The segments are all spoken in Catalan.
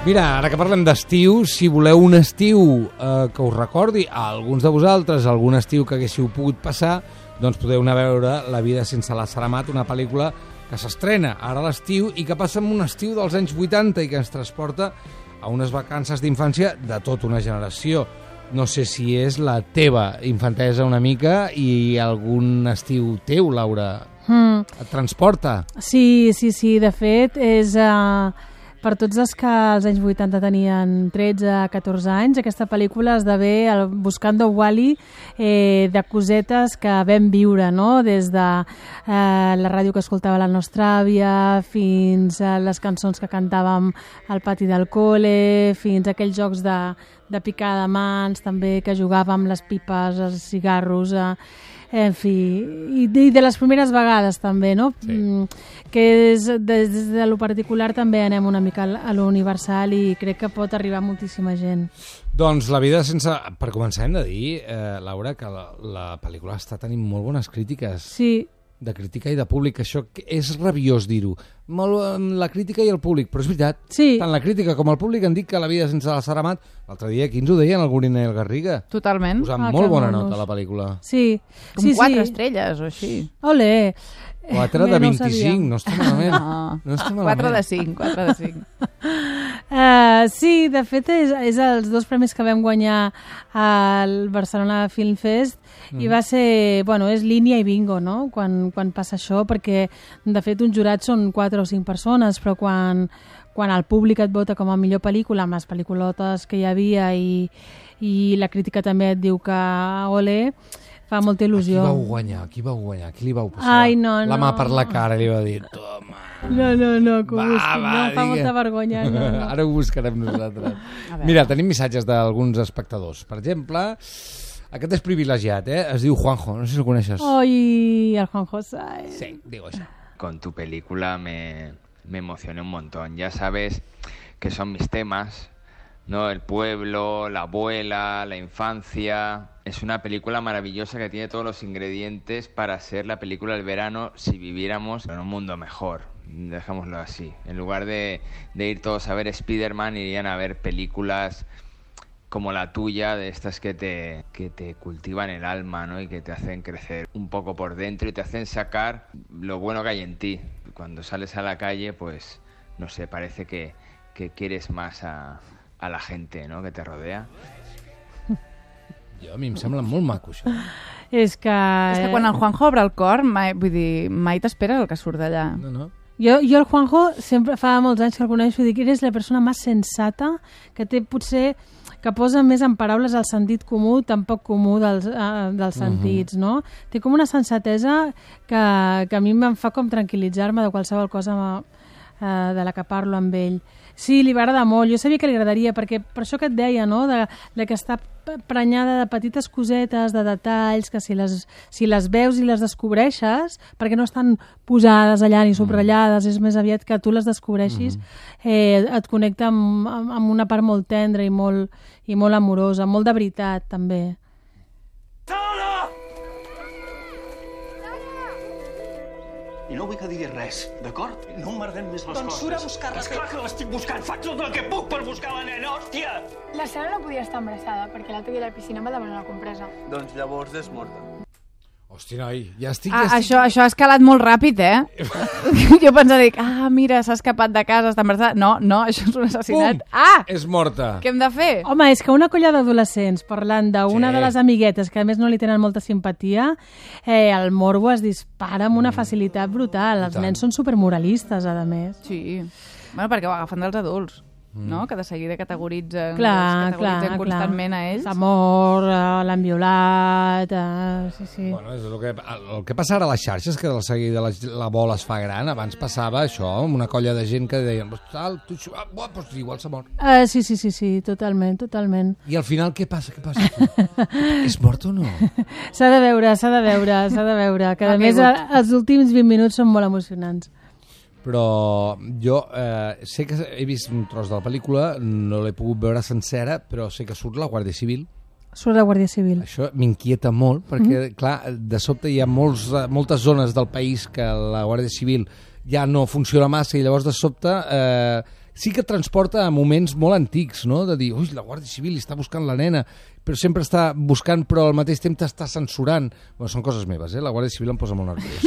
Mira, ara que parlem d'estiu, si voleu un estiu que us recordi a alguns de vosaltres, algun estiu que haguéssiu pogut passar, doncs podeu anar a veure La vida sense la Saramat, una pel·lícula que s'estrena ara a l'estiu i que passa en un estiu dels anys 80 i que ens transporta a unes vacances d'infància de tota una generació. No sé si és la teva infantesa una mica i algun estiu teu, Laura, et transporta. Sí, de fet, és... Per tots els que als anys 80 tenien 13-14 anys, aquesta pel·lícula esdevé el Buscando Wally de cosetes que vam viure, no? Des de la ràdio que escoltava la nostra àvia, fins a les cançons que cantàvem al pati del col·le, fins a aquells jocs de picar de mans, també que jugàvem les pipes, els cigarros... En fi, i de les primeres vegades també, no? Sí. Que des de lo particular també anem una mica a lo universal i crec que pot arribar a moltíssima gent. Doncs La vida sense... Per començar hem de dir, Laura, que la pel·lícula està tenint molt bones crítiques. Sí. De crítica i de públic, això és rabiós dir-ho. La crítica i el públic, però és veritat. Sí. Tant la crítica com el públic han dit que La vida sense la Saramat, l'altre dia aquí ens ho deien el Gorina i el Garriga. Totalment. Posant molt bona nota a la pel·lícula. Sí. Com 4 estrelles o així. Olé. 4 de 25, no està malament. No està malament. 4 de 5, 4 de 5. Sí, de fet és els 2 premis que vam guanyar al Barcelona Film Fest i va ser, bueno, és línia i bingo, no? Quan passa això, perquè de fet un jurat són 4 o 5 persones, però quan el públic et vota com a millor pel·lícula amb les pel·lículotes que hi havia i la crítica també et diu que ole, fa molta il·lusió. Qui vau guanyar? Qui li vau passar? Ai, no. La mà per la cara li va dir, toma. No, que ho busquin, no, fa molta vergonya. No. Ara ho buscarem nosaltres. Mira, tenim missatges d'alguns espectadors. Per exemple, aquest és privilegiat, es diu Juanjo, no sé si el coneixes. Ai, el Juanjo Sáez. Sí, digo això. Con tu película me emocioné un montón. Ya sabes que son mis temas, ¿no? El pueblo, la abuela, la infancia. Es una película maravillosa que tiene todos los ingredientes para ser la película del verano si viviéramos en un mundo mejor. Dejémoslo así. En lugar de ir todos a ver Spider-Man, irían a ver películas como la tuya, de estas que te cultivan el alma, ¿no? Y que te hacen crecer un poco por dentro y te hacen sacar lo bueno que hay en ti. Cuando sales a la calle, pues, no sé, parece que quieres más a la gente, ¿no?, que te rodea. A mi em sembla molt maco, això. És que quan el Juanjo obre el cor, mai t'esperes el que surt d'allà. No. Jo el Juanjo sempre fa molts anys que el coneixo i dic que eres la persona més sensata que té potser que posa més en paraules el sentit comú, tan poc comú dels sentits, no? Té com una sensatesa que a mi em fa com tranquil·litzar-me de qualsevol cosa de la que parlo amb ell. Sí, li va agradar molt. Jo sabia que li agradaria, perquè per això que et deia, no?, de que està prenyada de petites cosetes, de detalls, que si les veus i les descobreixes, perquè no estan posades allà ni subratllades, és més aviat que tu les descobreixis, et connecta amb una part molt tendra i molt amorosa, molt de veritat, també. I no vull que diguis res, d'acord? No emmerdem més les coses. Doncs surt a buscar-la. És clar que l'estic buscant, faig tot el que puc per buscar la nena, hòstia! La Sara no podia estar embarassada perquè l'altre dia a la piscina em va demanar la compresa. Doncs llavors és morta. Hòstia, noi, ja estic... Això ha escalat molt ràpid, Jo pensava, mira, s'ha escapat de casa, està embarassada. No, això és un assassinat. Pum! És morta. Què hem de fer? Home, és que una colla d'adolescents parlant d'una de les amiguetes que a més no li tenen molta simpatia, el morbo es dispara amb una facilitat brutal. Els nens són supermoralistes, a més. Sí, bueno, perquè ho agafen dels adults. No? Que de seguida categoritzen constantment a ells. S'ha mort, l'han violat... Sí. Bueno, és el que passa ara a les xarxes, que de seguida la bola es fa gran. Abans passava això, amb una colla de gent que deien pues igual s'ha mort. Sí, totalment. I al final què passa? És mort o no? S'ha de veure. Que a més els últims 20 minuts són molt emocionants. Però jo sé que he vist un tros de la pel·lícula, no l'he pogut veure sencera, però sé que surt la Guàrdia Civil. Surt la Guàrdia Civil. Això m'inquieta molt, perquè, clar, de sobte hi ha moltes zones del país que la Guàrdia Civil ja no funciona massa i llavors de sobte sí que et transporta a moments molt antics, no? De dir, ui, la Guàrdia Civil està buscant la nena, però sempre està buscant, però al mateix temps t'està censurant. Bueno, són coses meves, La Guàrdia Civil em posa molt nerviós.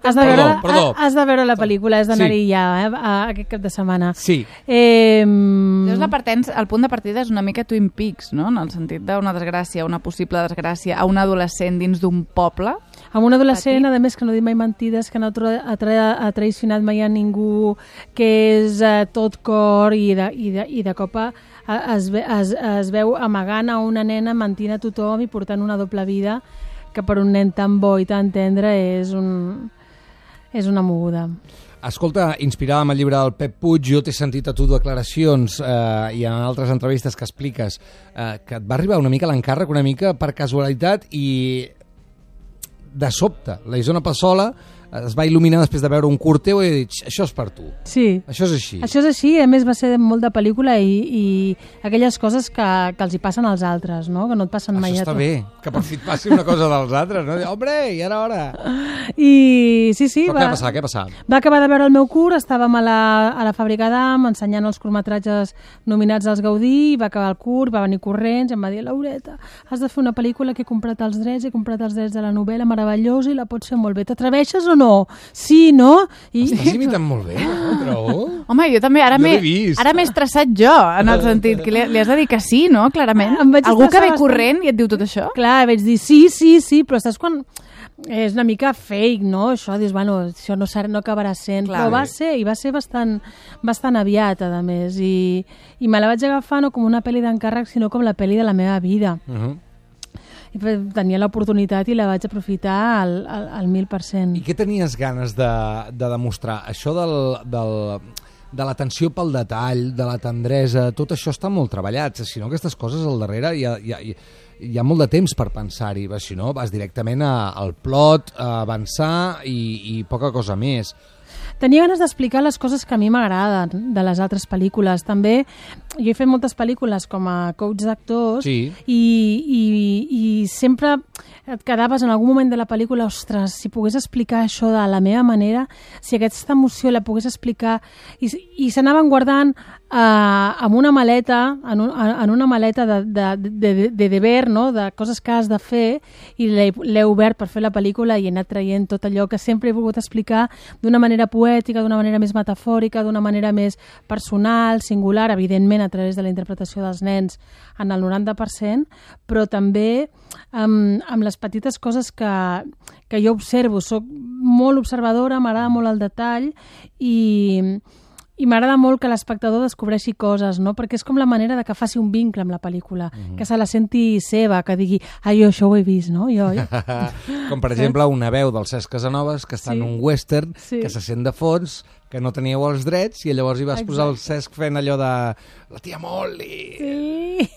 Has de veure la pel·lícula, has d'anar-hi ja, aquest cap de setmana. Sí. Llavors, el punt de partida és una mica Twin Peaks, no? En el sentit d'una desgràcia, una possible desgràcia a un adolescent dins d'un poble. Amb un adolescent, a més, que no diu mai mentides, que no ha traicionat mai a ningú, que és tot cor i de cop es veu amagant a una nena, mentint a tothom i portant una doble vida, que per un nen tan bo i tan tendre és una moguda. Escolta, inspirada amb el llibre del Pep Puig, jo t'he sentit a tu declaracions i en altres entrevistes que expliques que et va arribar una mica l'encàrrec, una mica per casualitat, i de sobte la Isona Passola es va il·luminar després de veure un curt teu i he dit, això és per tu. Sí. Això és així. Això és així, a més va ser molt de pel·lícula i aquelles coses que els hi passen als altres, no? Que no et passen mai a tu. Això està bé, que per fi et passi una cosa dels altres, no? Hombre, i ara hora. I sí. Però què va passar? Què va passar? Va acabar de veure el meu curt, estàvem a la Fàbrica d'Am ensenyant els curtmetratges nominats als Gaudí, va acabar el curt, va venir corrents, em va dir, Laureta, has de fer una pel·lícula que he comprat els drets de la novel·la meravellosa i la pots fer molt bé. T'atreveixes o no? Sí, no? Estàs imitant molt bé, no? Trobo. Home, jo també, ara m'he estressat jo, en el sentit que li has de dir que sí, no? Clarament. Algú que ve corrent i et diu tot això? Clar, vaig dir sí, però saps quan... És una mica fake, no? Això, dius, bueno, això no acabarà sent. Clar, però va ser bastant aviat, a més, i me la vaig agafar no com una pel·li d'encàrrec, sinó com la pel·li de la meva vida. I tenia l'oportunitat i la vaig aprofitar al 1000%. I què tenies ganes de demostrar? Això de l'atenció pel detall, de la tendresa, tot això està molt treballat. Si no, aquestes coses al darrere hi ha molt de temps per pensar-hi. Si no, vas directament al plot, a avançar i poca cosa més. Tenia ganes d'explicar les coses que a mi m'agraden de les altres pel·lícules. També jo he fet moltes pel·lícules com a coach d'actors i sempre et quedaves en algun moment de la pel·lícula, ostres, si pogués explicar això de la meva manera, si aquesta emoció la pogués explicar, i s'anaven guardant amb una maleta, en una maleta de deber, no? De coses que has de fer, i l'he obert per fer la pel·lícula i he anat traient tot allò que sempre he volgut explicar d'una manera poètica, d'una manera més metafòrica, d'una manera més personal, singular, evidentment a través de la interpretació dels nens en el 90%, però també amb les petites coses que jo observo. Soc molt observadora, m'agrada molt el detall i m'agrada molt que l'espectador descobreixi coses, no? Perquè és com la manera de que faci un vincle amb la pel·lícula, que se la senti seva, que digui, jo això ho he vist, no? Com per exemple una veu del Cesc Casanovas que està en un western, que se sent de fons, que no teníeu els drets, i llavors hi vas posar el Cesc fent allò de la tia Molly. Sí.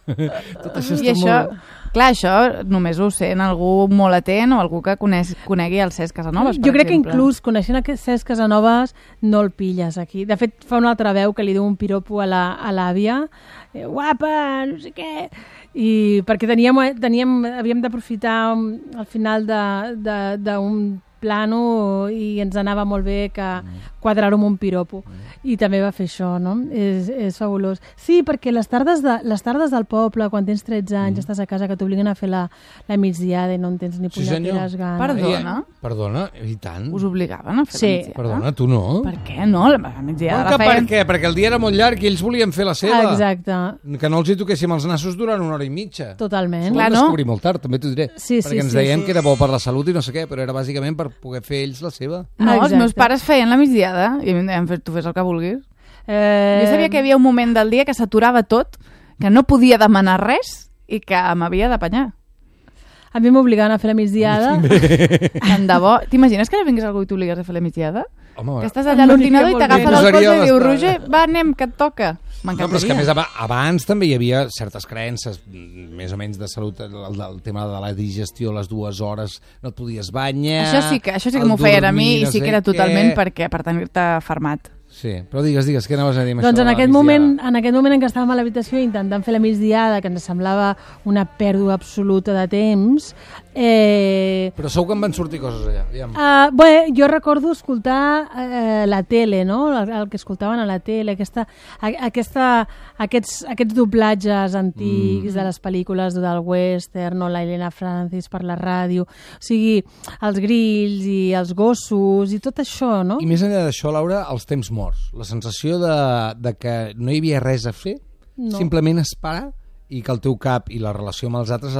Tot això està molt... Clar, això només ho sent algú molt atent o algú que conegui el Cesc Casanovas, per Jo crec exemple. que inclús coneixent aquest Cesc Casanovas no el pilles aquí. De fet, fa una altra veu que li diu un piropo a l'àvia, guapa, no sé què, i perquè havíem d'aprofitar al final d'un plano i ens anava molt bé que quadrar-ho amb un piropo, i també va fer això, no? És fabulós. Sí, perquè les tardes del poble, quan tens 13 anys, estàs a casa, que t'obliguen a fer la migdiada i no en tens ni punyeteres ganes. Perdona, i tant. Us obligaven a fer la migdiada? Perdona, tu no? Per què no? La migdiada la feien... Per què? Perquè el dia era molt llarg i ells volien fer la seva. Exacte. Que no els hi toquéssim els nassos durant 1 hora i mitja. Totalment. Ho vam descobrir molt tard, també t'ho diré. Sí, perquè ens deien que era bo per la salut i no sé què, però era bàsicament per poder fer ells la seva. No, els meus pares feien la migdiada i a mi em deien, tu fes el que vulguis. Jo sabia que hi havia un moment del dia que s'aturava tot, que no podia demanar res i que m'havia d'apanyar. A mi m'obligaven a fer la migdiada. Tant de bo. T'imagines que ara vingués algú i t'obligués a fer la migdiada? Home, que estàs allà a l'ordinador i t'agafa del cotxe i diu, Roger, va, anem, que et toca. No, però és que a més abans també hi havia certes creences més o menys de salut, el tema de la digestió, les 2 hores no et podies banyar. Això sí que m'ho feien a mi i sí que era totalment per tenir-te fermat. Sí, però digues, què anaves a dir amb Doncs això? en aquest moment en què estàvem a l'habitació intentant fer la migdiada, que ens semblava una pèrdua absoluta de temps... Però segur que em van sortir coses allà. Bé, jo recordo escoltar la tele, no? El que escoltaven a la tele, aquests doblatges antics de les pel·lícules del western o la Helena Francis per la ràdio, o sigui, els grills i els gossos i tot això, no? I més enllà d'això, Laura, els temps morts. La sensació de que no hi havia res a fer, simplement esperar i que el teu cap i la relació amb els altres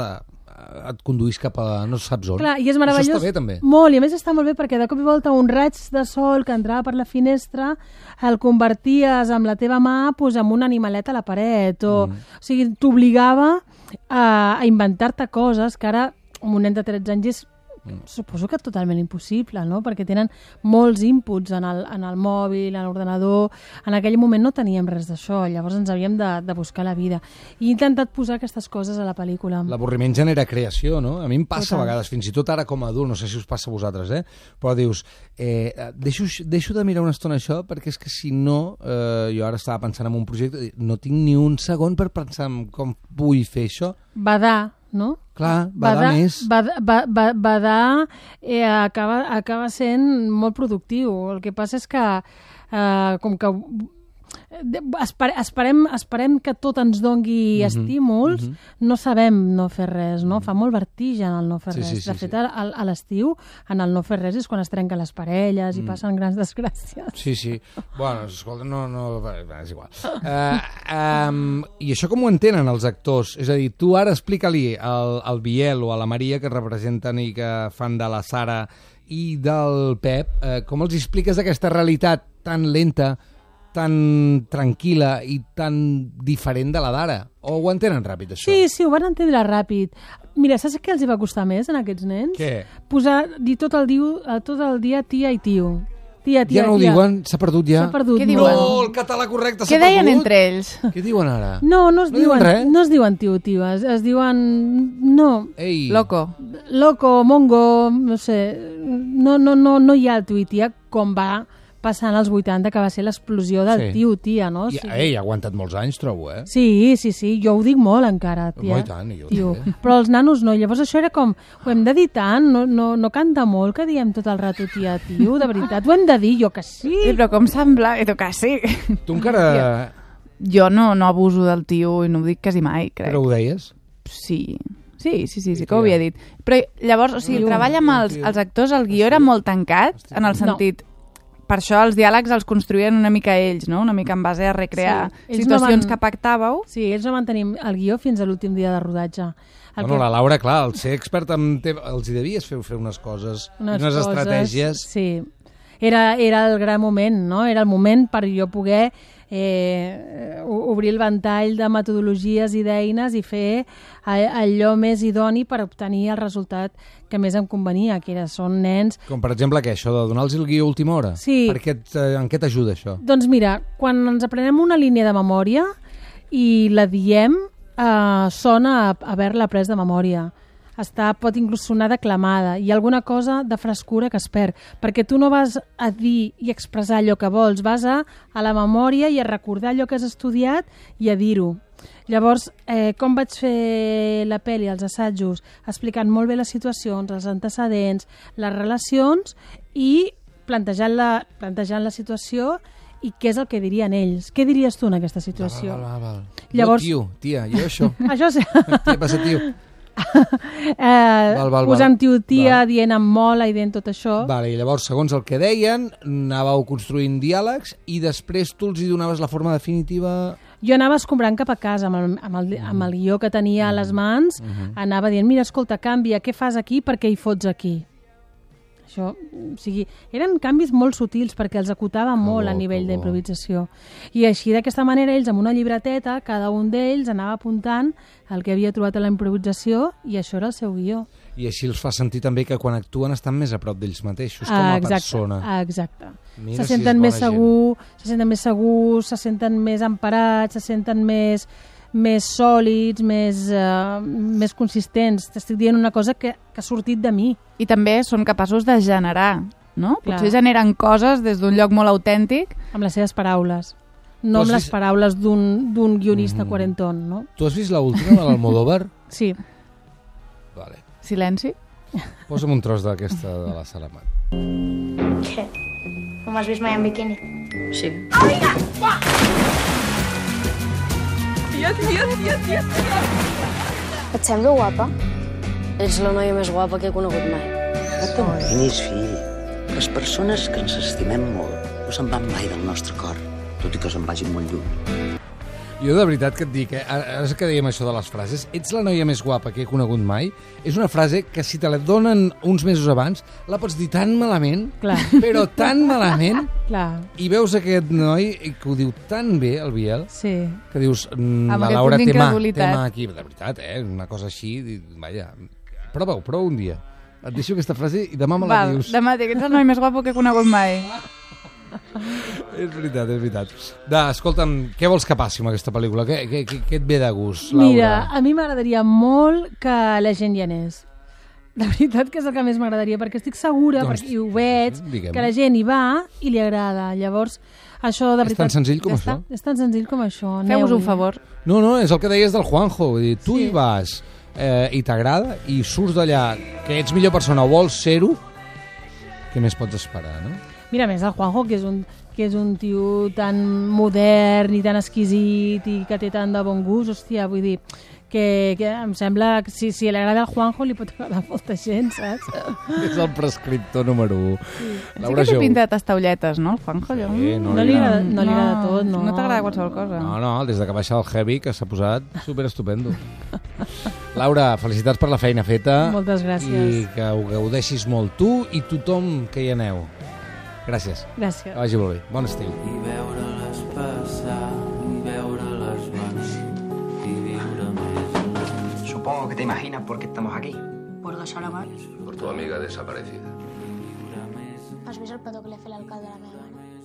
et conduís cap a no saps on. Clar, i és meravellós. Això està bé, també. Molt, i a més està molt bé perquè de cop i volta un raig de sol que entrava per la finestra el converties amb la teva mà amb un animalet a la paret. O sigui, t'obligava a inventar-te coses que ara un nen de 13 anys és suposo que totalment impossible, no? Perquè tenen molts inputs en el mòbil, en l'ordenador. En aquell moment no teníem res d'això, llavors ens havíem de buscar la vida. I he intentat posar aquestes coses a la pel·lícula. L'avorriment genera creació, no? A mi em passa a vegades, fins i tot ara com a adult, no sé si us passa a vosaltres, però dius, deixo de mirar una estona això perquè és que si no, jo ara estava pensant en un projecte, no tinc ni un segon per pensar en com vull fer això. Badar, no? Clar, badar més. Badar acaba sent molt productiu. El que passa és que com que esperem que tot ens dongui estímuls, no sabem no fer res, no? Fa molt vertigen el no fer res. De fet, a l'estiu, en el no fer res és quan es trenquen les parelles i passen grans desgràcies. Sí. Bueno, escolta, és igual. I això com ho entenen els actors? És a dir, tu ara explica-li al Biel o a la Maria, que representen i que fan de la Sara i del Pep, com els expliques aquesta realitat tan lenta, tan tranquil·la i tan diferent de la d'ara? O ho entenen ràpid, això? Sí, ho van entendre ràpid. Mira, saps què els va costar més a aquests nens? Què? Dir tot el dia tia i tio. Tia, ja no ho diuen? S'ha perdut ja? S'ha perdut. Què diuen? No, el català correcte s'ha perdut. Què deien entre ells? Què diuen ara? No es diuen tio, es diuen... No. Ei. Loco, mongo, no sé. No hi ha el tu i tia com va passant als 80, que va ser l'explosió del tia, no? Ha aguantat molts anys, trobo, Sí, jo ho dic molt encara, tia. Molt tant, tio. Però els nanos no, llavors això era com, ho hem de dir tant, no canta molt que diem tot el rato tia, tio, de veritat, ho hem de dir, jo que sí. Però com sembla, que sí. Tu encara... Jo no abuso del tio i no ho dic quasi mai, crec. Però ho deies? Sí, que ho havia dit. Però llavors, o sigui, el treball amb els actors, el guió era molt tancat, en el sentit... Per això els diàlegs els construïen una mica ells, no? Una mica en base a recrear situacions que pactàveu. Sí, ells no van tenir el guió fins a l'últim dia de rodatge. La Laura, clar, al ser expert els hi devies fer unes coses, unes estratègies. Sí, era el gran moment, no? Era el moment per jo poder obrir el ventall de metodologies i d'eines i fer allò més idoni per obtenir el resultat que més em convenia, que són nens... Com per exemple això de donar-los el guió a última hora? Sí. En què t'ajuda això? Doncs mira, quan ens aprenem una línia de memòria i la diem, sona a haver-la après de memòria. Pot inclús sonar declamada. Hi ha alguna cosa de frescura que es perd, perquè tu no vas a dir i expressar allò que vols, vas a la memòria i a recordar allò que has estudiat i a dir-ho. Llavors, com vaig fer la pel·li, els assajos, explicant molt bé les situacions, els antecedents, les relacions i plantejant la situació i què és el que dirien ells. Què diries tu en aquesta situació? Val. Llavors... Jo, tia, jo això. Això sí. Tia, passa, tio. Posant tia, dient amb mola i dient tot això. Vale, i llavors, segons el que deien, anàveu construint diàlegs i després tu els hi donaves la forma definitiva... Jo anava escombrant cap a casa amb el guió que tenia a les mans, anava dient, mira, escolta, canvia, què fas aquí, per què hi fots aquí? Això, o sigui, eren canvis molt sutils perquè els acotava molt a nivell d'improvisació. I així, d'aquesta manera, ells amb una llibreteta, cada un d'ells anava apuntant el que havia trobat a la improvisació i això era el seu guió. I així els fa sentir també que quan actuen estan més a prop d'ells mateixos, com a persona. Exacte. Se senten més segurs, se senten més emparats, se senten més sòlids, més consistents. T'estic dient una cosa que ha sortit de mi. I també són capaços de generar no? Clar. Potser generen coses des d'un lloc molt autèntic. Amb les seves paraules. No amb les paraules d'un guionista quarentón, no? Tu has vist l'última de l'Almodóvar? Sí. Vale. Silenci. Posa'm un tros d'aquesta de la Saramat. Què? No m'has vist mai en biquini? Sí. Et semblo guapa? Ets la noia més guapa que he conegut mai. No t'emprenyis, fill. Les persones que ens estimem molt no se'n van mai del nostre cor, tot i que se'n vagin molt lluny. Jo de veritat que et dic, ara que dèiem això de les frases, ets la noia més guapa que he conegut mai, és una frase que si te la donen uns mesos abans, la pots dir tan malament, Clar. però tan malament, Clar. i veus aquest noi que ho diu tan bé, el Biel, Sí. que dius, Amb la aquest Laura punt té mà d'incredulitat. aquí. De veritat, una cosa així, vaja, prova un dia. Et deixo aquesta frase i demà me la dius. Demà dic, ets el noi més guapo que he conegut mai. És veritat, és veritat. Escolta'm, què vols que passi amb aquesta pel·lícula? Què et ve de gust, Laura? Mira, a mi m'agradaria molt que la gent hi anés. De veritat que és el que més m'agradaria, perquè estic segura, Doncs, perquè ho veig, diguem. que la gent hi va i li agrada. Llavors, això de És veritat... tan senzill com Ja això? està, és tan senzill com això. Feu-vos un Aneu-hi. favor. No, és el que deies del Juanjo. Vull dir, tu hi vas i t'agrada i surts d'allà que ets millor persona o vols ser-ho, què més pots esperar, no? Mira, a més, el Juanjo, que és un tio tan modern i tan exquisit i que té tant de bon gust, hòstia, vull dir, que em sembla que si li agrada el Juanjo li pot agradar a molta gent, saps? És el prescriptor número 1. Sí que té pinta de tastaulletes, no, el Juanjo? Sí, No li agrada tot, no. No t'agrada qualsevol cosa. No, des de que baixa el heavy, que s'ha posat superestupendo. Laura, felicitats per la feina feta. Moltes gràcies. I que ho gaudeixis molt tu i tothom que hi aneu. Gràcies. Gràcies. Que vagi molt bé. Bon estiu. I veure-les passar, i veure-les venir, i viure més. Supongo que te imaginas por qué estamos aquí. Por la Saramat. Por tu amiga desaparecida. Has vist el petó que li ha fet l'alcalde a la meva mare?